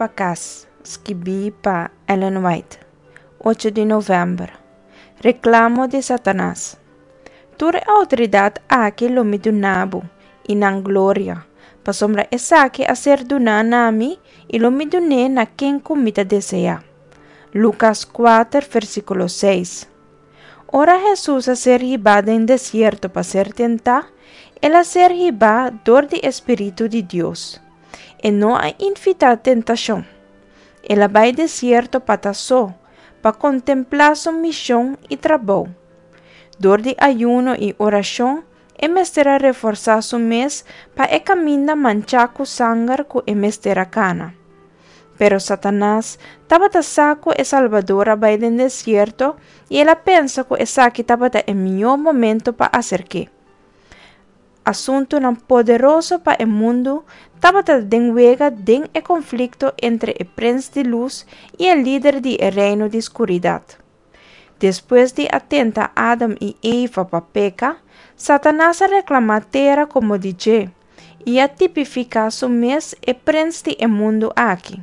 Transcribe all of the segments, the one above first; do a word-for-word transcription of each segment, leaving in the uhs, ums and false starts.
pa Kas, skibí pa Ellen White, ocho di novèmber. Reklamo di Satanas. Tur e outoridat aki lo mi duna bo, i nan gloria, pasobra esaki a ser duná na mi, i lo mi dun'é na ken ku mi ta deseá. Lukas kuater, versíkulo seis. Ora Hesus a ser hibá den desierto pa ser tentá, el a ser hibá dor di e Spiritu di Dios. E no a invitá tentashon. El a bai desierto pa ta so, pa kontemplá su mishon i trabou. Dor di ayuno i orashon, e mester a reforsá su mes pa e kaminda manchá ku sanger ku e mester a kana. Pero Satanas tabata sa ku e Salbador a bai den desierto i el a pensa ku esaki tabata e mihó momento pa aserk'é. Asuntunan poderoso pa e mundu tabata den wega den e konflikto entre e Prens di Lus i e lider di e reino di skuridat. Despues di a tenta Adam i Eva pa peka, Satanas a reklamá tera komo di dje i a tipifiká su mes e prens di e mundu aki.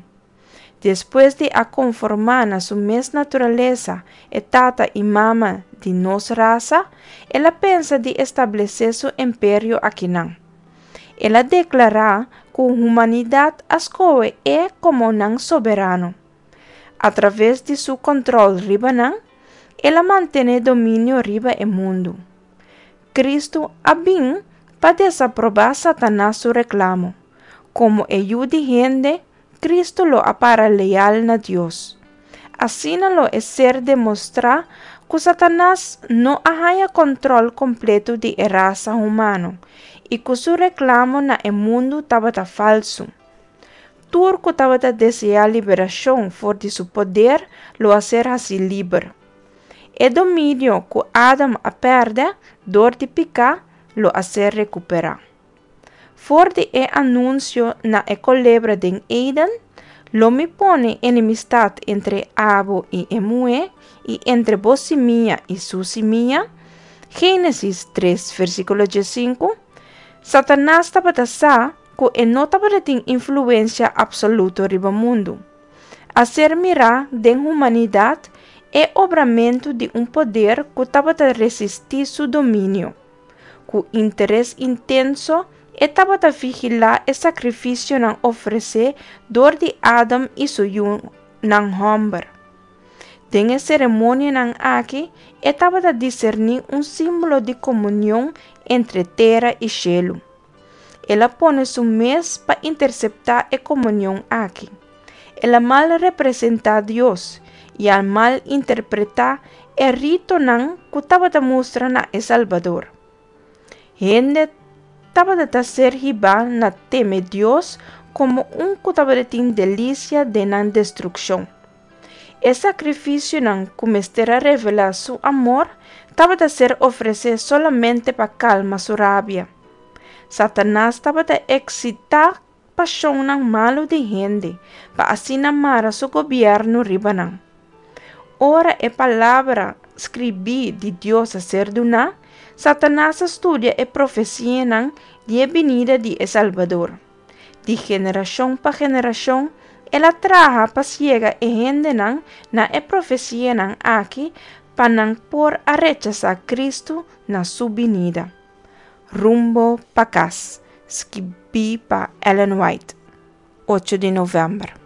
Despues di a konformá na su mes naturalesa e tata i mama di nos rasa, el a pensa di establesé su imperio akinan. El a deklará ku humanidat a skohe e komo nan soberano. Atraves di su kòntròl riba nan, el a mantené dominio riba e mundu. Kristu a bin pa desaprobá Satanas su reklamo. Komo e Yu di hende, Kristu lo a para leal na Dios. Asina lo e ser demostrá ku Satanas no a haña kòntròl kompleto di e rasa humano i ku su reklamo na e mundu tabata falsu. Tur ku tabata deseá liberashon for di su poder lo a ser hasí liber. E dominio ku Adam a pèrdè dor di piká lo a ser rekuperá. For di e anunsio na e kolebra den Eden, Lo mi pone enemistat entre abo i e muhé, i entre bo simia i su simia, Génesis tres, versíkulo diesinku, Satanas tabata sa ku e no tabatin influensia apsoluto riba mundu. A ser mirá den humanidat e obramentu di un poder ku tabata resistí su dominio. Ku interes intenso e tabata vigilá e sakrifisionan ofresé dor di Adam i su yunan hòmber. Den e seremonianan aki e tabata diserní un símbolo di komunion entre tera i shelu. El a pone su mes pa interseptá e komunion aki. El a mal representá Dios i a mal interpretá e ritonan ku tabata mustra na e Salbador. Hende tabata ta ser hibá na teme Dios komo un ku tabatin delisia den nan destrukshon. E sakrifisionan ku mester a revelá su amor tabata ser ofresé solamente pa kalma su rabia. Satanas tabata eksitá pashonnan malu di hende pa asina mara su gobièrnu riba nan. Ora e palabra skribí di Dios a ser duná, Satanas a studia e profesianan di e binida di e Salbador. Di generashon pa generashon, el a traha pa siega e hendenan na e profesianan aki pa nan por a rechasá Kristu na su binida. Rumbo pa Kas, skibí pa Ellen White, ocho di novèmber.